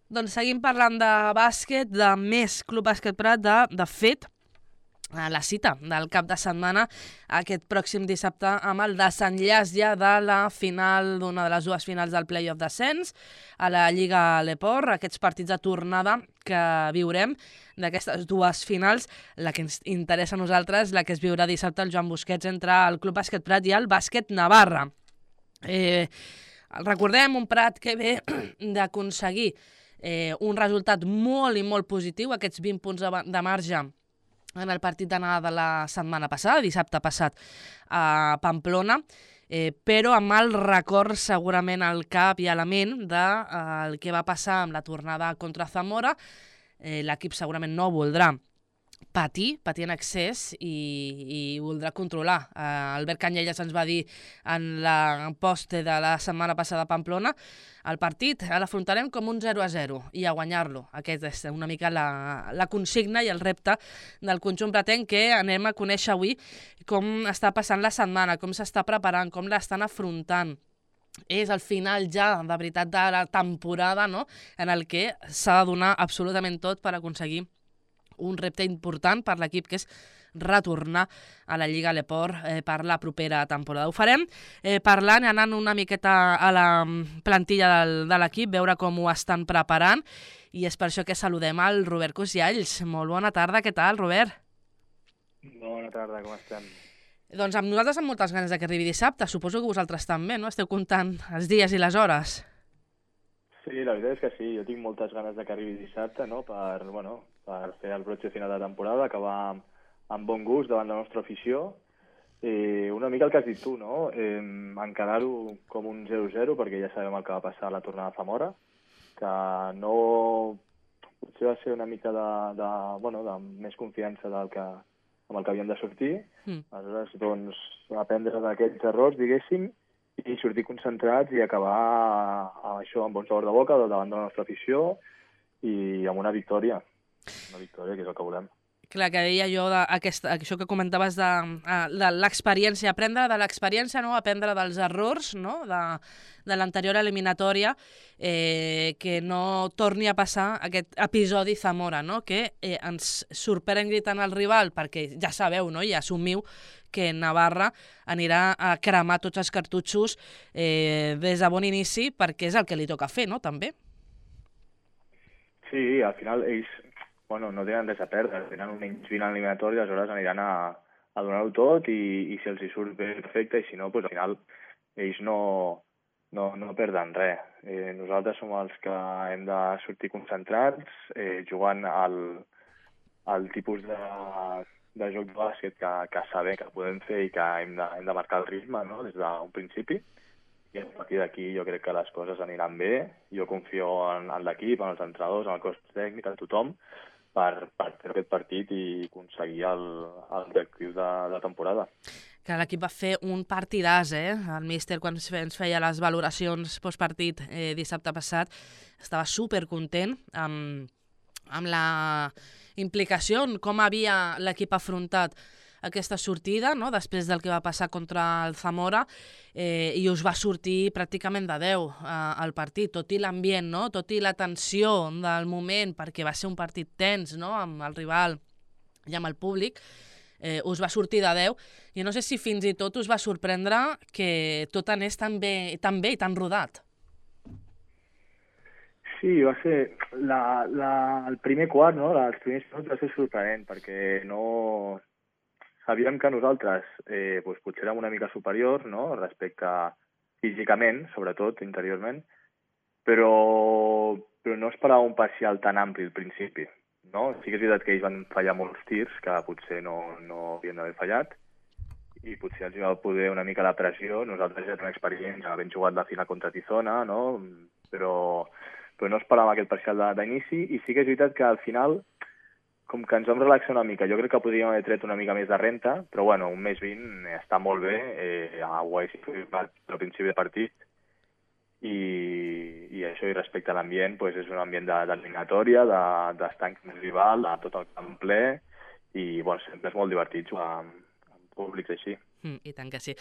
Doncs seguim parlant de bàsquet, de més Club Bàsquet Prat, de fet, la cita del cap de setmana aquest pròxim dissabte amb el desenllaç ja de la final, d'una de les dues finals del play-off d'ascens a la Lliga Leport, aquests partits de tornada que viurem d'aquestes dues finals, la que ens interessa a nosaltres, la que es viurà dissabte al Joan Busquets entre el Club Bàsquet Prat i el Bàsquet Navarra. Recordem un Prat que ve d'aconseguir un resultat molt i molt positiu, aquests 20 punts de marge en el partit d'anada de la setmana passada, dissabte passat, a Pamplona, però amb el record segurament al cap i a la ment del que va passar amb la tornada contra Zamora. L'equip segurament no voldrà patir en excés i voldrà controlar. Albert Canyelles ens va dir en la poste de la setmana passada a Pamplona, el partit l'afrontarem com un 0-0 i a guanyar-lo. Aquest és una mica la consigna i el repte del conjunt pratenc, que anem a conèixer avui com està passant la setmana, com s'està preparant, com l'estan afrontant. És el final ja, de veritat, de la temporada, no?, en el que s'ha de donar absolutament tot per aconseguir un repte important per l'equip, que és retornar a la Lliga Leport per la propera temporada. Ho farem parlant i anant una miqueta a la plantilla de l'equip, veure com ho estan preparant, i és per això que saludem al Robert Cosialls. Molt bona tarda, què tal, Robert? Bona tarda, com estem? Doncs amb nosaltres amb moltes ganes que arribi dissabte, suposo que vosaltres també, no? Esteu comptant els dies i les hores. Sí, la veritat és que sí, jo tinc moltes ganes que arribi dissabte, no?, per fer el broche final de temporada, acabar amb bon gust davant la nostra afició. Una mica el que has dit tu, no?, encarar-ho com un 0-0, perquè ja sabem el que va passar a la tornada de Zamora, que no... potser va ser una mica de més confiança amb el que havíem de sortir. Aleshores, doncs, aprendre d'aquests errors, diguéssim, i sortir concentrats i acabar això amb bon sabor de boca davant de la nostra afició i amb una victòria. Una victòria, que és el que volem. Clar, que deia jo, això que comentaves de l'experiència, aprendre de l'experiència, no?, aprendre dels errors, no?, de l'anterior eliminatòria, que no torni a passar aquest episodi Zamora, no?, que ens sorprengui tant el rival, perquè ja sabeu, no?, i assumiu que Navarra anirà a cremar tots els cartutxos des de bon inici, perquè és el que li toca fer, no?, també. Sí, al final ells no tenen res a perdre, tenen un menys 20 eliminatori, aleshores aniran a donar-ho tot i si els hi surt bé, perfecte, i si no, doncs al final ells no perden res. Nosaltres som els que hem de sortir concentrats, jugant al tipus de joc de bàsquet que sabem que podem fer i que hem de marcar el ritme, no?, des d'un principi. I a partir d'aquí jo crec que les coses aniran bé. Jo confio en l'equip, en els entrenadors, en el cos tècnic, en tothom, per fer aquest partit i aconseguir l'objectiu de temporada. Que l'equip va fer un partidàs, El míster, quan ens feia les valoracions postpartit dissabte passat, estava supercontent amb la implicació, com havia l'equip afrontat aquesta sortida, no?, després del que va passar contra el Zamora, i us va sortir pràcticament de 10 al partit, tot i l'ambient, no?, tot i la tensió del moment, perquè va ser un partit tens, no?, amb el rival i amb el públic, us va sortir de 10, i no sé si fins i tot us va sorprendre que tot anés tan bé i tan rodat. Sí, va ser el primer quart, no?, els primers minuts va ser sorprenent, perquè no... Sabíem que nosaltres potser érem una mica superiors, no?, respecte físicament, sobretot interiorment, però no esperava un parcial tan ampli al principi, no? Sí que és veritat que ells van fallar molts tirs que potser no havien d'haver fallat i potser els va poder una mica la pressió. Nosaltres ja tenim experiència, havent jugat la final contra Tizona, no?, però no esperàvem aquest parcial d'inici, i sí que és veritat que al final, com que ens vam relaxar una mica, jo crec que podríem haver tret una mica més de renta, però bueno, un més 20 està molt bé, ho haguéssim fet al principi de partit, i això, i respecte a l'ambient, doncs és un ambient d'eliminatòria, d'estar en rival, de tot el camp ple, i bueno, sempre és molt divertit jugar amb públics així. I tant que sí.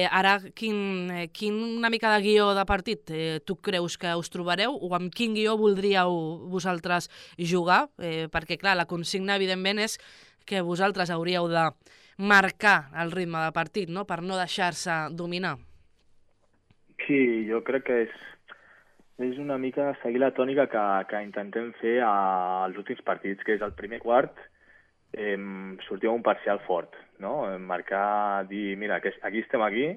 Ara, una mica de guió de partit tu creus que us trobareu o amb quin guió voldríeu vosaltres jugar? Perquè, clar, la consigna, evidentment, és que vosaltres hauríeu de marcar el ritme de partit, no?, per no deixar-se dominar. Sí, jo crec que és una mica seguir la tònica que intentem fer als últims partits, que és el primer quart sortir amb un parcial fort, no? Marcar, dir, mira, aquí estem aquí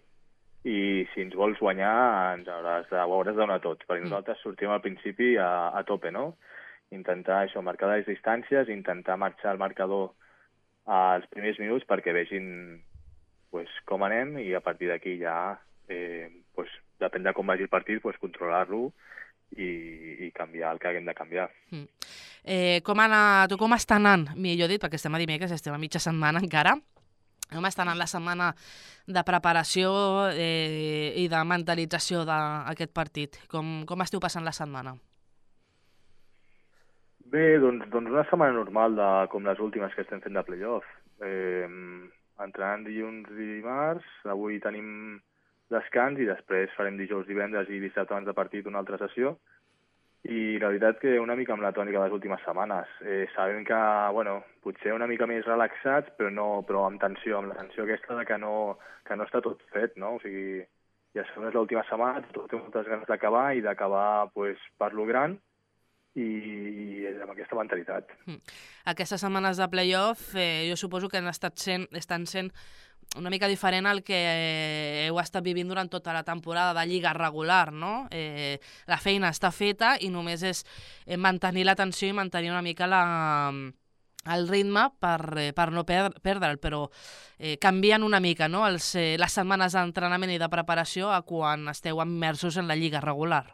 i si ens vols guanyar ho hauràs de donar tot, perquè nosaltres sortim al principi a tope, no? Intentar això, marcar les distàncies, intentar marxar el marcador als primers minuts perquè vegin pues, com anem i a partir d'aquí ja, pues, depèn de com vagi el partit, pues, controlar-lo i canviar el que haguem de canviar. Com està anant, millor dit, perquè estem a dimecres, estem a mitja setmana encara, com està anant la setmana de preparació i de mentalització d'aquest partit? Com esteu passant la setmana? Bé, doncs una setmana normal com les últimes que estem fent de playoff. Entrenant dilluns i dimarts, avui tenim descans i després farem dijous, divendres i dissabte abans de partit una altra sessió. I la veritat que una mica amb la tònica de les últimes setmanes. Sabem que, bueno, potser una mica més relaxats, però amb tensió, amb la tensió aquesta de que no està tot fet, no? O sigui, ja sabem que és l'última setmana, tot té moltes ganes d'acabar i d'acabar pues, per lo gran i amb aquesta mentalitat. Aquestes setmanes de playoff jo suposo que estan sent una mica diferent al que heu estat vivint durant tota la temporada de lliga regular, no? La feina està feta i només és mantenir la tensió i mantenir una mica el ritme per no perdre'l, però canvien una mica, no?, les setmanes d'entrenament i de preparació a quan esteu immersos en la lliga regular.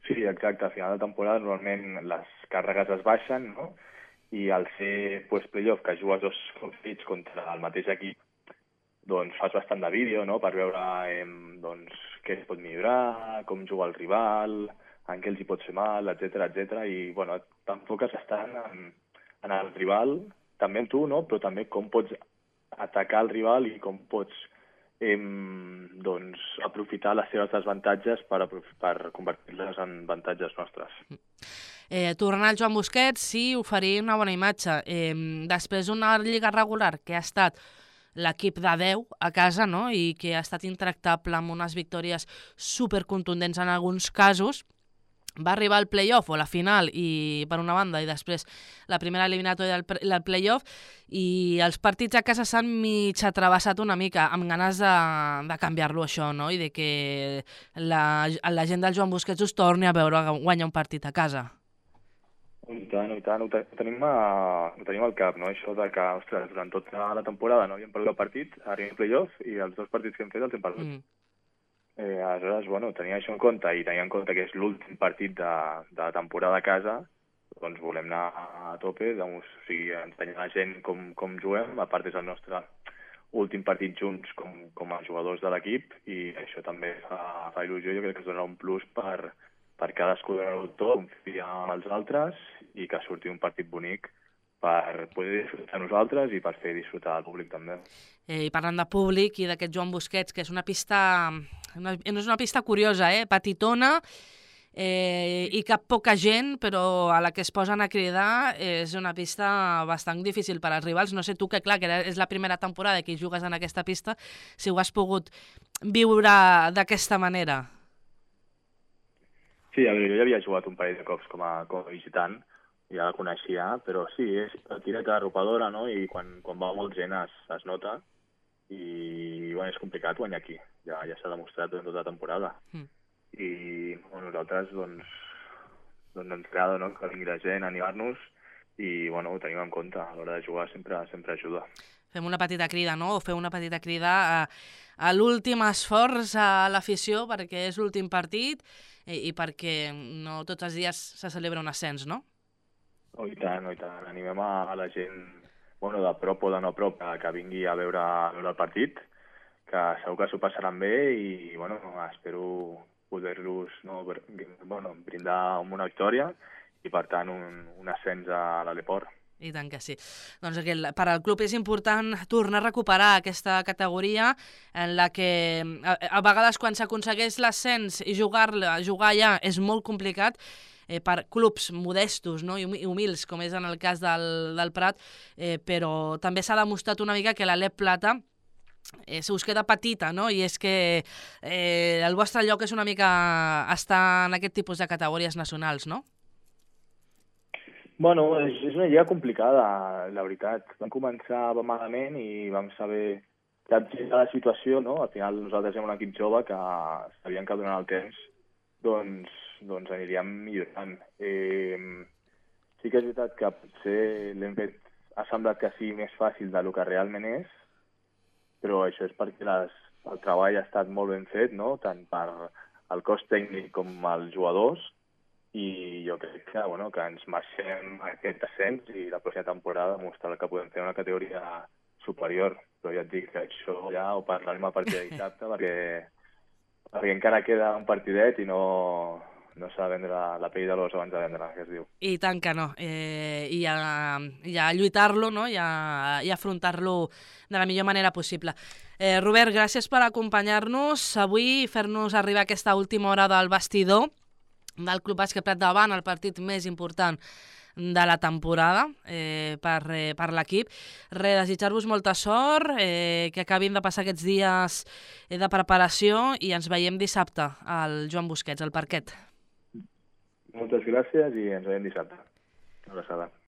Sí, exacte. A final de temporada normalment les càrregues es baixen, no? I al ser pues, playoff, que jugues dos partits contra el mateix equip, doncs fas bastant de vídeo, no?, per veure doncs, què es pot millorar, com juga el rival, en què els hi pot fer mal, etc. I bueno, t'enfoques bastant en el rival, també en tu, no?, però també com pots atacar el rival i com pots doncs, aprofitar les seves desavantatges per convertir-les en avantatges nostres. Tornar al Joan Busquets, sí, oferir una bona imatge. Després d'una lliga regular que ha estat l'equip de 10 a casa, no?, i que ha estat intractable amb unes victòries supercontundents en alguns casos, va arribar al playoff o la final i per una banda i després la primera eliminatòria del playoff i els partits a casa s'han mig atrevessat una mica amb ganes de canviar-lo això, no?, i de que la gent del Joan Busquets us torni a veure guanyar un partit a casa. I tant, ho tenim al cap, no? Això de que, ostres, durant tota la temporada no havíem perdut el partit, arribem al playoff i els dos partits que hem fet els hem perdut. Aleshores, bueno, tenia això en compte i tenia en compte que és l'últim partit de temporada a casa, doncs volem anar a tope, doncs, o sigui, ensenyar a la gent com juguem, a part és el nostre últim partit junts com a jugadors de l'equip i això també fa il·lusió, jo crec que es donarà un plus per cadascú donar-ho tot, confiar en els altres i que surti un partit bonic per poder disfrutar nosaltres i per fer disfrutar el públic també. I parlant de públic i d'aquest Joan Busquets, que és una pista curiosa, petitona i cap poca gent, però a la que es posen a cridar és una pista bastant difícil per als rivals. No sé tu, que clar, que és la primera temporada que jugues en aquesta pista, si ho has pogut viure d'aquesta manera. Sí, a veure, jo ja havia jugat un parell de cops com a visitant, ja la coneixia, però sí, és tireta arropadora, no?, i quan va molt gent es nota i bueno, és complicat guanyar aquí, ja s'ha demostrat durant tota la temporada. I bueno, nosaltres doncs ens agrada, no?, que vingui la gent a animar-nos i bueno, ho tenim en compte, a l'hora de jugar sempre ajuda. Fem una petita crida, no?, o feu una petita crida a l'últim esforç a l'afició perquè és l'últim partit i perquè no tots els dies se celebra un ascens, no? Oh, i tant. Animem a la gent, bueno, de prop o de no prop, que vingui a veure el partit, que segur que s'ho passaran bé i, bueno, espero poder-los brindar amb una victòria i, per tant, un ascens a l'Aleport. I tant que sí. Doncs per al club és important tornar a recuperar aquesta categoria en la que a vegades quan s'aconsegueix l'ascens i jugar allà és molt complicat per clubs modestos, no? I humils, com és en el cas del Prat, però també s'ha demostrat una mica que l'Alep Plata se us queda petita, no? I és que el vostre lloc és una mica estar en aquest tipus de categories nacionals, no? Bueno, és una lliga complicada, la veritat. Vam començar malament i vam saber capgirar la situació, no? Al final nosaltres som un equip jove que sabíem que durant el temps doncs aniríem millorant. Sí que és veritat que potser l'hem fet, ha semblat que sigui més fàcil del que realment és, però això és perquè el treball ha estat molt ben fet, no? Tant per el cos tècnic com els jugadors, i jo crec que, que ens marxem aquest ascens i la pròxima temporada mostrar que podem fer una categoria superior. Però ja et dic que això ja ho parlarem a partir de dissabte perquè encara queda un partidet i no s'ha de vendre la pell de l'os abans de vendre, que es diu. I tant que no. I a lluitar-lo, no? I a afrontar-lo de la millor manera possible. Robert, gràcies per acompanyar-nos avui i fer-nos arribar aquesta última hora del vestidor del Club Bàsquet Prat davant, el partit més important de la temporada per l'equip. Desitjar-vos molta sort, que acabin de passar aquests dies de preparació i ens veiem dissabte al Joan Busquets, al parquet. Moltes gràcies i ens veiem dissabte. Una abraçada.